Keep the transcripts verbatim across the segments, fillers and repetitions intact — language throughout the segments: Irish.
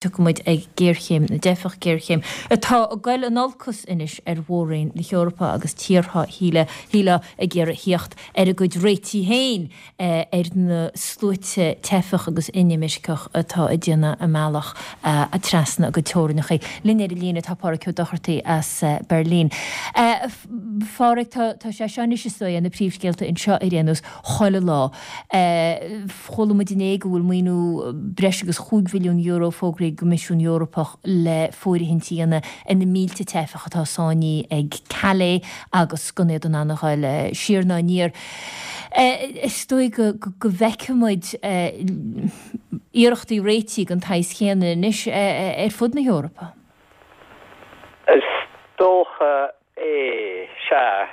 Tiocfaidh muid ag géarchéim na dteifeach, géarchéim atá ag goil in olcas anois ar mhór-roinn na hEorpa agus tíortha shílfeá ag iarraidh theacht ar a gcuid réitigh féin ar na sluaite teifeach agus inimirceach atá ag déanamh a mbealach trasna a gcuid teorainneacha. Linn ar an líne tá Pádhraic Ó Dochartaigh as Beirlín. A Phádhraic, tá sé seo anois is dóigh ar na príomhscéalta anseo ar aon nós chuile lá. Chuala muid inné go bhfuil maoiniú breis agus chúig mhilliún euro fógraithe ag an gCoimisiún Eorpach le fóirithint a dhéanamh ar na mílte teifeach atá sáinnithe ag Calais agus gan iad in ann a ghoil siar ná aniar. Is dóigh go bhfeicfidh muid iarrachtaí réitigh den tsaghas chéanna anois ar fud na hEorpa. Is dócha é, sea.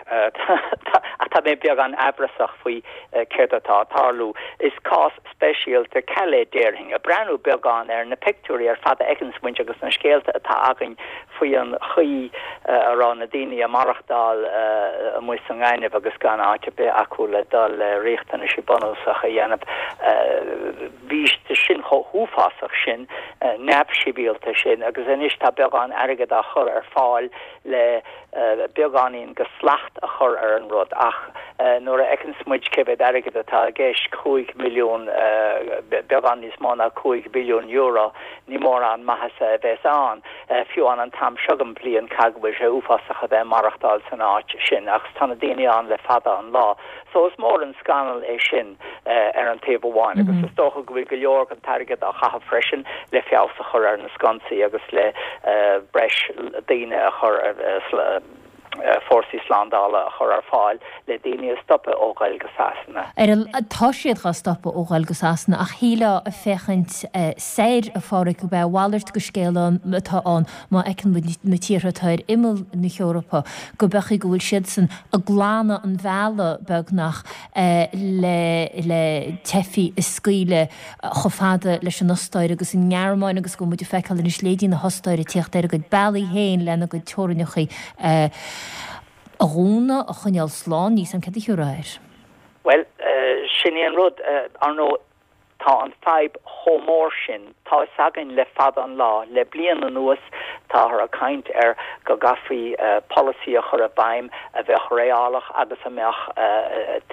Ach tá mé beagán amhrasach faoi céard atá ag tarlú. Is cás speisialta Calais, déarfainn. Ag breathnú beagán ar na pictiúirí ar fad a fheiceanns muid agus na scéalta atá againn faoi an chaoi a raibh na daoine ag maireachtáil amuigh sa ngaineamh agus gan áit ar bith acu le dul le riachtanaisí bunúsacha a dhéanamh, bhí sin chomh huafásach sin, neamhshibhialta sin agus anois tá beagán airgead á chur ar fáil le beagáinín de shlacht a chur ar an rud ach nuair a fheiceanns muid cé mhéad airgead atá i gceist, cúig milliún, beagán níos mó ná cúig mhilliún euro, ní mórán maitheasa a bheas ann, fiú an an t-am seo den bhliain, caithfidh go bhfuil sé uafásach a bheith ag maireachtáil san áit sin agus tá na daoine ann le fada an lá. So is mór an scannal é sin ar an taobh amháin agus is dócha go bhfuil go leor den t-airgead á chaitheamh freisin le feabhas a chur ar na sconsaí agus le breis daoine a chur ar fórsaí slándála a chur ar fáil le daoine a stopadh ó ghoil go Sasana. Ar a Tá siad dhá stopadh ó ghoil go Sasana ach shílfeá ag féachaint soir, a Phádhraic, gurb é a mhalairt de scéal atá ann má fheiceann muid na tíortha atá ar imeall na hEorpa, go b'fhéidir go bhfuil siadsan ag glanadh an bhealaigh beagnach le le teifigh a scaoileadh chomh fada leis an Ostáir agus an nGearmáin agus go bhfuil muid ag feiceáil anois leithéidí na hOstáire ag tíocht ar a gcuid bealaí féin lena gcuid teorainneacha a dhúnadh, a choinneáil slán, níl 's a'm céard a thiúrfá air. Bhuel, sin é an rud, ar ndóigh, tá an fadhb chomh mór sin, tá fhios againn le fada an lá, le bliain anuas táthar ag caint ar go gcaithfí polasaí a chur i bhfeidhm a bheadh reálach agus a mbeadh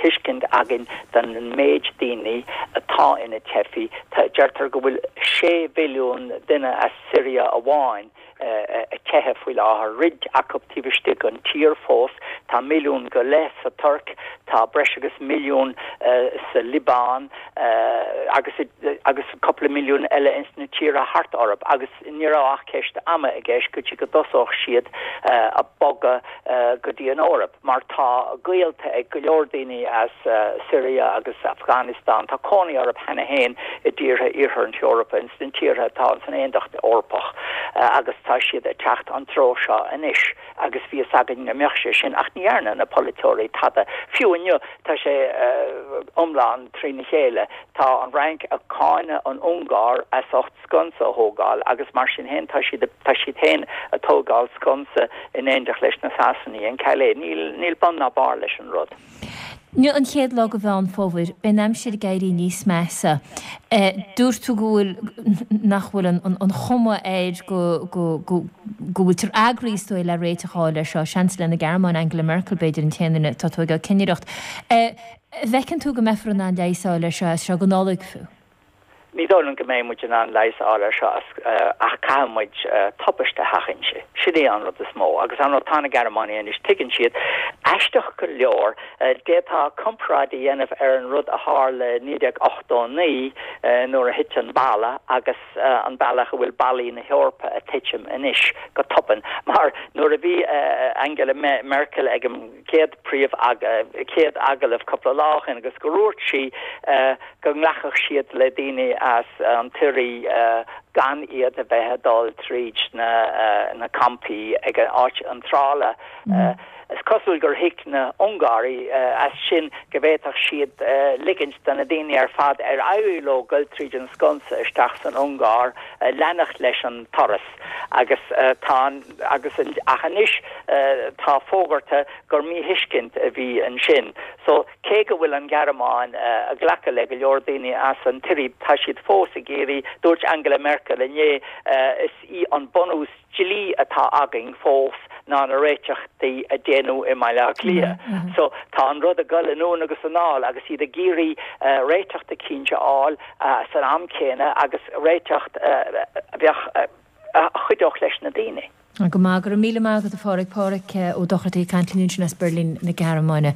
tuiscint againn den méid daoine atá ina dteifigh. Deirtear go bhfuil sé mhilliún duine as Siria amháin ag teitheadh faoi láthair, roinnt acu taobh istigh den tír fós, tá milliún go leith sa Tuirc, tá breis agus milliún sa Liobáin agus agus cúpla milliún eile ins na tíortha thart orthu agus ní raibh ach ceist ama i gceist go dtí go dtosódh siad ag bogadh go dtí an Eoraip mar tá gaolta ag go leor daoine as Siria agus Afghanistan, tá cónaí orthu cheana féin i dtíortha Iarthar na hEorpa, ins na tíortha atá san Aontacht Eorpach agus tá siad ag teacht an treo seo anois agus bhí fhios againn go mbeadh sé sin ach ní dhearna na polaiteoirí tada. Fiú inniu tá sé iomlán trína chéile. Tá an Fhrainc ag cáineadh an Ungáir as ucht sconsa a thógáil agus mar sin féin tá siad tá siad féin ag tógáil sconsa in éineacht leis na Sasanaigh in Calais. Níl níl bun ná barr leis an rud. Inniu an chéad lá de Mheán Fómhair, beidh an aimsir ag éirí níos measa. Dúirt tú go bhfuil, nach bhfuil an chuma air go go go go bhfuiltear eagraithe is dóigh le réiteach a fháil air seo, Seansailéir na Gearmáine, Angela Merkel b'fhéidir an t-aon duine atá ag tógáil cinnireacht. An bhfeiceann tú go mbeifear in ann leigheas a fháil air seo as seo go Nollaig fiú? Ní dóigh liom go mbeidh muid in ann leigheas a fháil air seo ach caithfidh muid tubaiste a sheachaint. Sin é an rud is mó. Agus ar ndóigh tá na Gearmánaigh anois, tuigeann siad. Aisteach go leor, d'fhéadfá comparáid a dhéanamh ar an rud a tharla i naoi déag ochtó a naoi nuair a thit an balla agus an bealach a bhfuil ballaí na hEorpa ag titim anois go tobann. Mar nuair a bhí Angela Merkel ag an chéad príomh chéad agallamh cúpla lá ó shin agus gur dhúirt sí go nglacfadh siad le daoine as an tSiria gan iad a bheith ag dul tríd na na campaí ag an áit iontrála. Is cosúil gur thuig na hUngáraigh as sin go bhféadfadh siad ligint do na daoine ar fad ar éirigh leo goil tríd an sconsa isteach san Ungáir leanacht leis an turas agus tá agus ach anois tá fógartha gur míthuiscint a bhí ansin. So, cé go bhfuil an Ghearmáin ag glacadh le go leor daoine as an tSiria, tá siad fós ag iarraidh, dúirt Angela Merkel, Merkel inné is í an bunús dlí atá againn fós ná na réiteachtaí a déanadh i mBaile Átha Cliath. So tá an rud ag dul anonn agus anall agus iad ag iarraidh réiteach eicínt a fháil san am céanna agus réiteach a bheadh a chuideodh leis na daoine. Go maith go raibh míle maith agat a Phádraig Pádraig Ó Dochartaigh ag caint linn ansin as Berlin na Gearmáine.